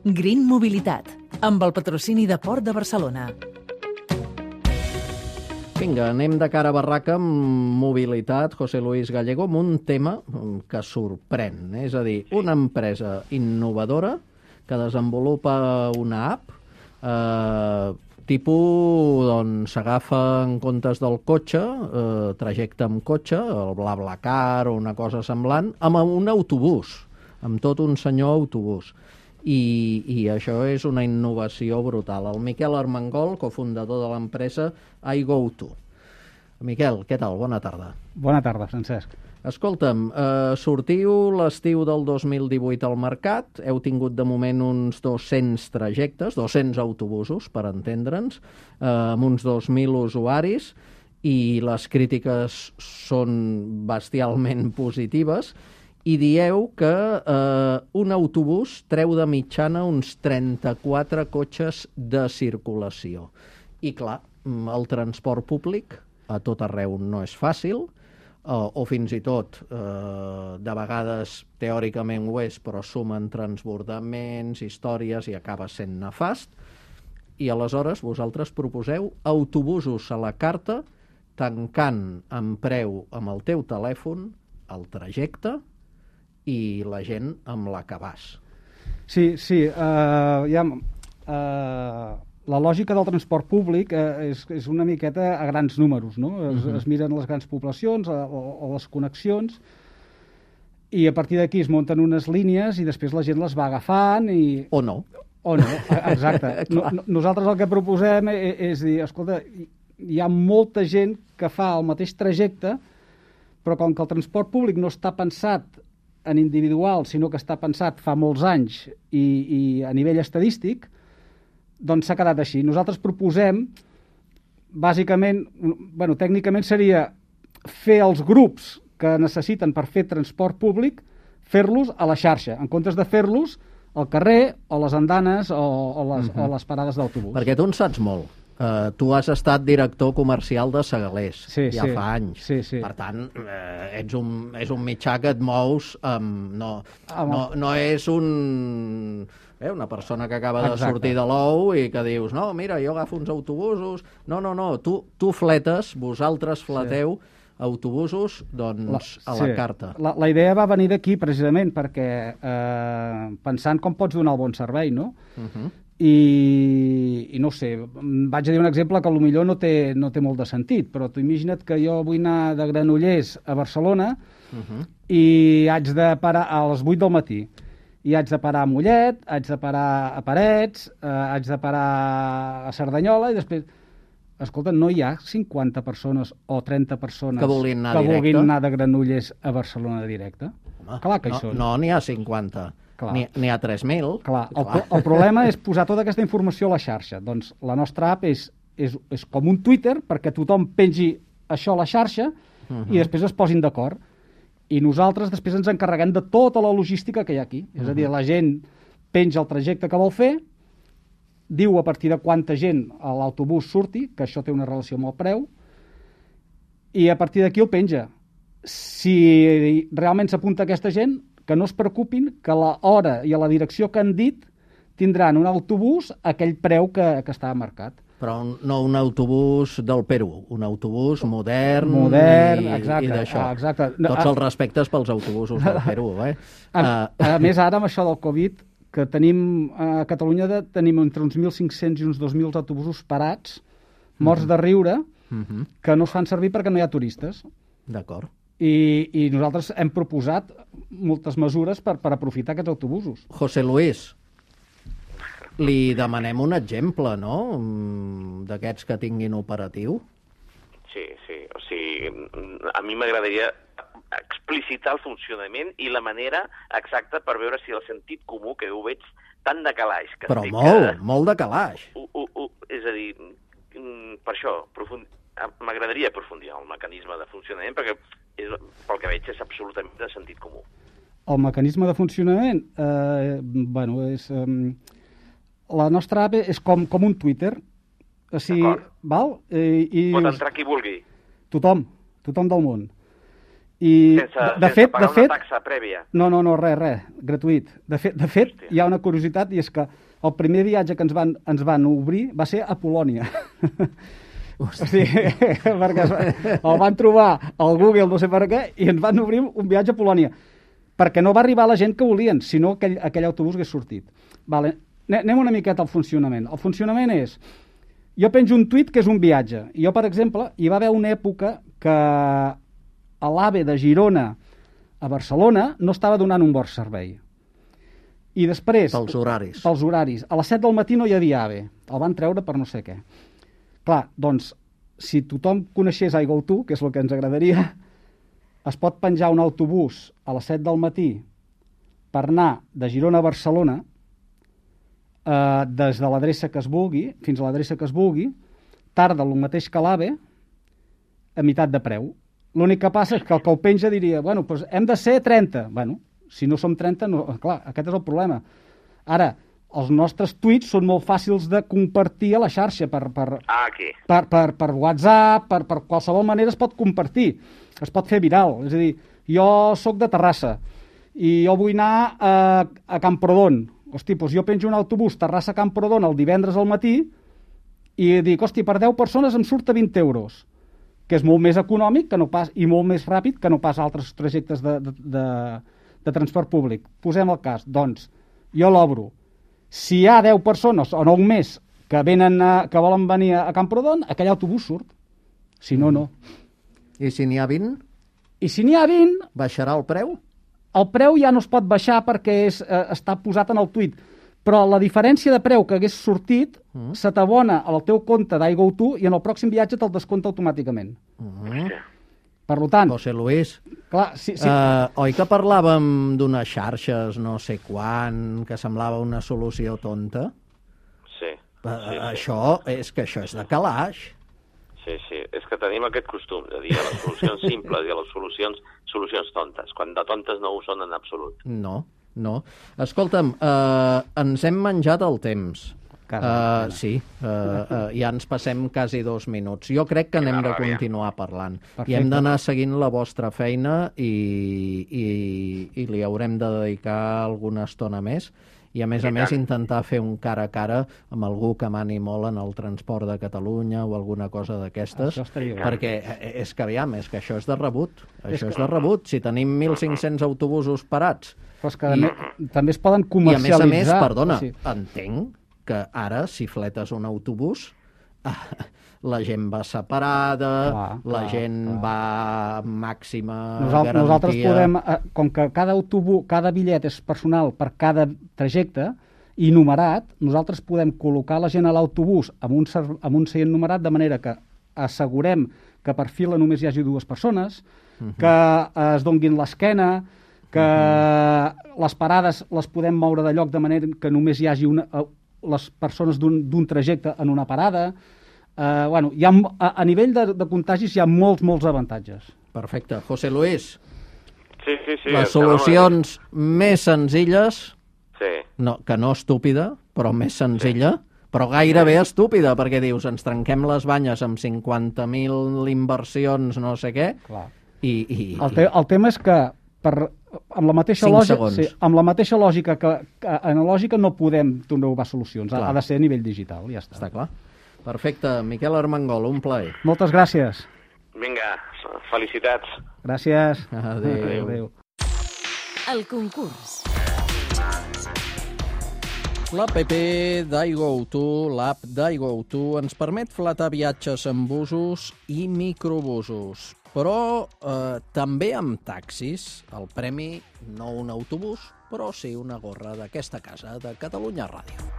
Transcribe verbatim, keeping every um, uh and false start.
Green Mobilitat, amb el patrocini de Port de Barcelona. Vinga, anem de cara a barraca amb mobilitat, José Luis Gallego, amb un tema que sorprèn. És a dir, una empresa innovadora que desenvolupa una app eh, tipus, doncs, s'agafa en comptes del cotxe, eh, trajecte amb cotxe, el BlaBlaCar o una cosa semblant, amb un autobús, amb tot un senyor autobús. I, i això és una innovació brutal. El Miquel Armengol, cofundador de l'empresa iGoTo. Miquel, què tal? Bona tarda. Bona tarda, Francesc. Escolta'm, eh, sortiu l'estiu del dos mil divuit al mercat, heu tingut de moment uns dos-cents trajectes, dos-cents autobusos, per entendre'ns, eh, amb uns dos mil usuaris, i les crítiques són bestialment positives, i dieu que eh, un autobús treu de mitjana uns trenta-quatre cotxes de circulació. I clar, el transport públic a tot arreu no és fàcil, eh, o fins i tot eh, de vegades teòricament ho és, però sumen transbordaments, històries i acaba sent nefast. I aleshores vosaltres proposeu autobusos a la carta, tancant en preu amb el teu telèfon el trajecte i la gent amb la que vas. Sí, sí. Uh, ja, uh, la lògica del transport públic uh, és, és una miqueta a grans números, no? Es, uh-huh. es miren les grans poblacions o, o les connexions i a partir d'aquí es munten unes línies i després la gent les va agafant i... O no. O no, exacte. no, nosaltres el que proposem és, és dir, escolta, hi ha molta gent que fa el mateix trajecte, però com que el transport públic no està pensat en individual, sinó que està pensat fa molts anys i, i a nivell estadístic, doncs s'ha quedat així. Nosaltres proposem, bàsicament, bueno, tècnicament seria fer els grups que necessiten per fer transport públic, fer-los a la xarxa, en comptes de fer-los al carrer o les andanes o, o, les, uh-huh. o les parades d'autobús. Perquè tu en saps molt. Uh, tu has estat director comercial de Segalers, sí, ja sí. fa anys. Sí, sí. Per tant, eh, ets un, és un mitjà que et mous amb... No, no, no és un... Eh, una persona que acaba de Exacte. sortir de l'ou i que dius, no, mira, jo agafo uns autobusos... No, no, no, tu, tu fletes, vosaltres fleteu sí. autobusos, doncs, la, a la sí. carta. La, la idea va venir d'aquí, precisament, perquè eh, pensant com pots donar el bon servei, no? Uh-huh. I, i no sé, vaig a dir un exemple que potser no té, no té molt de sentit, però tu imagina't que jo vull anar de Granollers a Barcelona uh-huh. i haig de parar a les vuit del matí, i haig de parar a Mollet, haig de parar a Parets, eh, haig de parar a Cerdanyola, i després, escolta, no hi ha cinquanta persones o trenta persones que vulguin anar, que directe. vulguin anar de Granollers a Barcelona directe? Home, clar que hi no, són. No, n'hi ha cinquanta. N'hi ha tres mil. Clar, el, el problema és posar tota aquesta informació a la xarxa. Doncs la nostra app és, és, és com un Twitter perquè tothom pengi això a la xarxa uh-huh. i després es posin d'acord. I nosaltres després ens encarreguem de tota la logística que hi ha aquí. Uh-huh. És a dir, la gent penja el trajecte que vol fer, diu a partir de quanta gent a l'autobús surti, que això té una relació amb el preu, i a partir d'aquí el penja. Si realment s'apunta aquesta gent, que no es preocupin, que a l'hora i a la direcció que han dit tindran un autobús a aquell preu que, que estava marcat. Però un, no un autobús del Perú, un autobús modern, modern i, exacte, i d'això. Exacte. Tots els respectes pels autobusos del Perú. Eh? A, a més, ara amb això del Covid, que tenim a Catalunya de, tenim entre uns mil cinc-cents i uns dos mil autobusos parats, morts uh-huh. de riure, uh-huh. que no es fan servir perquè no hi ha turistes. D'acord. I, i nosaltres hem proposat moltes mesures per, per aprofitar aquests autobusos. José Luis, li demanem un exemple, no?, d'aquests que tinguin operatiu. Sí, sí. O sigui, a mi m'agradaria explicitar el funcionament i la manera exacta per veure si el sentit comú, que ho veig tan de calaix... Que Però estic, molt, que... molt de calaix. Uh, uh, uh, és a dir, per això, profund... m'agradaria aprofundir el mecanisme de funcionament, perquè és, pel que veig és absolutament de sentit comú. El mecanisme de funcionament, eh, bueno, és... Eh, la nostra app és com, com un Twitter. O sigui, val? Eh, i Pot entrar qui vulgui. Tothom, tothom del món. I, sense, de, de sense fet, pagar de fet, una taxa prèvia. No, no, no, res, res, gratuït. De fet, de fet hi ha una curiositat, i és que el primer viatge que ens van, ens van obrir va ser a Polònia. O sigui, perquè el van trobar al Google, no sé per què, i ens van obrir un viatge a Polònia. Perquè no va arribar la gent que volien, sinó que aquell, aquell autobús hagués sortit. Vale. Anem una miqueta al funcionament. El funcionament és... Jo penjo un tuit que és un viatge. I jo, per exemple, hi va haver una època que a l'AVE de Girona a Barcelona no estava donant un bon servei. I després... Pels horaris. Pels horaris. A les set del matí no hi havia AVE. El van treure per no sé què. Clar, doncs, si tothom coneixés iGoTo, que és el que ens agradaria, es pot penjar un autobús a les set del matí per anar de Girona a Barcelona eh, des de l'adreça que es vulgui, fins a l'adreça que es vulgui, tarda el mateix que l'AVE, a meitat de preu. L'únic que passa és que el que ho penja diria, bueno, doncs hem de ser trenta. Bueno, si no som trenta, no, clar, aquest és el problema. Ara, els nostres tuits són molt fàcils de compartir a la xarxa per, per, Ah, aquí. per, per, per WhatsApp, per, per qualsevol manera es pot compartir, es pot fer viral. És a dir, jo sóc de Terrassa i jo vull anar a, a Camprodon. Hosti, doncs jo penjo un autobús Terrassa-Camprodon el divendres al matí i dic, hosti, per deu persones em surt a vint euros, que és molt més econòmic que no pas, i molt més ràpid que no pas altres trajectes de, de, de, de transport públic. Posem el cas. Doncs, jo l'obro. Si hi ha deu persones o nou més que, venen a, que volen venir a Camprodon, aquell autobús surt. Si no, no. I si n'hi ha vint? I si n'hi ha vint... Baixarà el preu? El preu ja no es pot baixar perquè és, eh, està posat en el tuit. Però la diferència de preu que hagués sortit mm. se t'abona al teu compte d'iGoTo i en el pròxim viatge te'l descompta automàticament. Mm. Per tant... José Luis, clar, sí, sí. Uh, oi que parlàvem d'unes xarxes no sé quan, que semblava una solució tonta? Sí. Uh, sí, sí. Això, és que això és de calaix. Sí, sí, és que tenim aquest costum de dir a les solucions simples i a les solucions, solucions tontes, quan de tontes no ho són en absolut. No, no. Escolta'm, uh, ens hem menjat el temps. Uh, sí, uh, uh, ja ens passem quasi dos minuts. Jo crec que anem de continuar parlant. Perfecte. I hem d'anar seguint la vostra feina i, i, i li haurem de dedicar alguna estona més. I a més a més intentar fer un cara a cara amb algú que mani molt en el transport de Catalunya o alguna cosa d'aquestes, perquè és que aviam, és que això és de rebut, això és de rebut. Si tenim mil cinc-cents autobusos parats... Però és que i, també es poden comercialitzar. I a més a més, perdona, sí. entenc que ara si fletes un autobús la gent va separada, clar, la clar, gent clar. va màxima Nosaltres, garantia... Nosaltres podem, com que cada autobús, cada bitllet és personal per cada trajecte i numerat, nosaltres podem col·locar la gent a l'autobús amb un, amb un seient numerat de manera que assegurem que per fila només hi hagi dues persones, uh-huh. que es donguin l'esquena, que uh-huh. les parades les podem moure de lloc de manera que només hi hagi una, les persones d'un trajecte en una parada. Uh, bueno, hi ha, a, a nivell de, de contagis hi ha molts, molts avantatges. Perfecte. José Luis, sí, sí, sí, les solucions no... més senzilles, sí. no, que no estúpida, però més senzilla, sí. però gairebé sí. estúpida, perquè dius, ens trenquem les banyes amb cinquanta mil inversions, no sé què, clar. i... i el, te, el tema és que per, amb, la mateixa lògica, sí, amb la mateixa lògica que, que analògica no podem trobar solucions, ha, ha de ser a nivell digital, ja està. Està clar. Perfecte. Miquel Armengol, un plaer. Moltes gràcies. Vinga, felicitats. Gràcies. Adéu. Adéu. Adéu. El concurs. L'app d'iGoTo, l'app d'iGoTo, ens permet fletar viatges amb busos i microbusos. Però eh, també amb taxis. El premi, no un autobús, però sí una gorra d'aquesta casa de Catalunya Ràdio.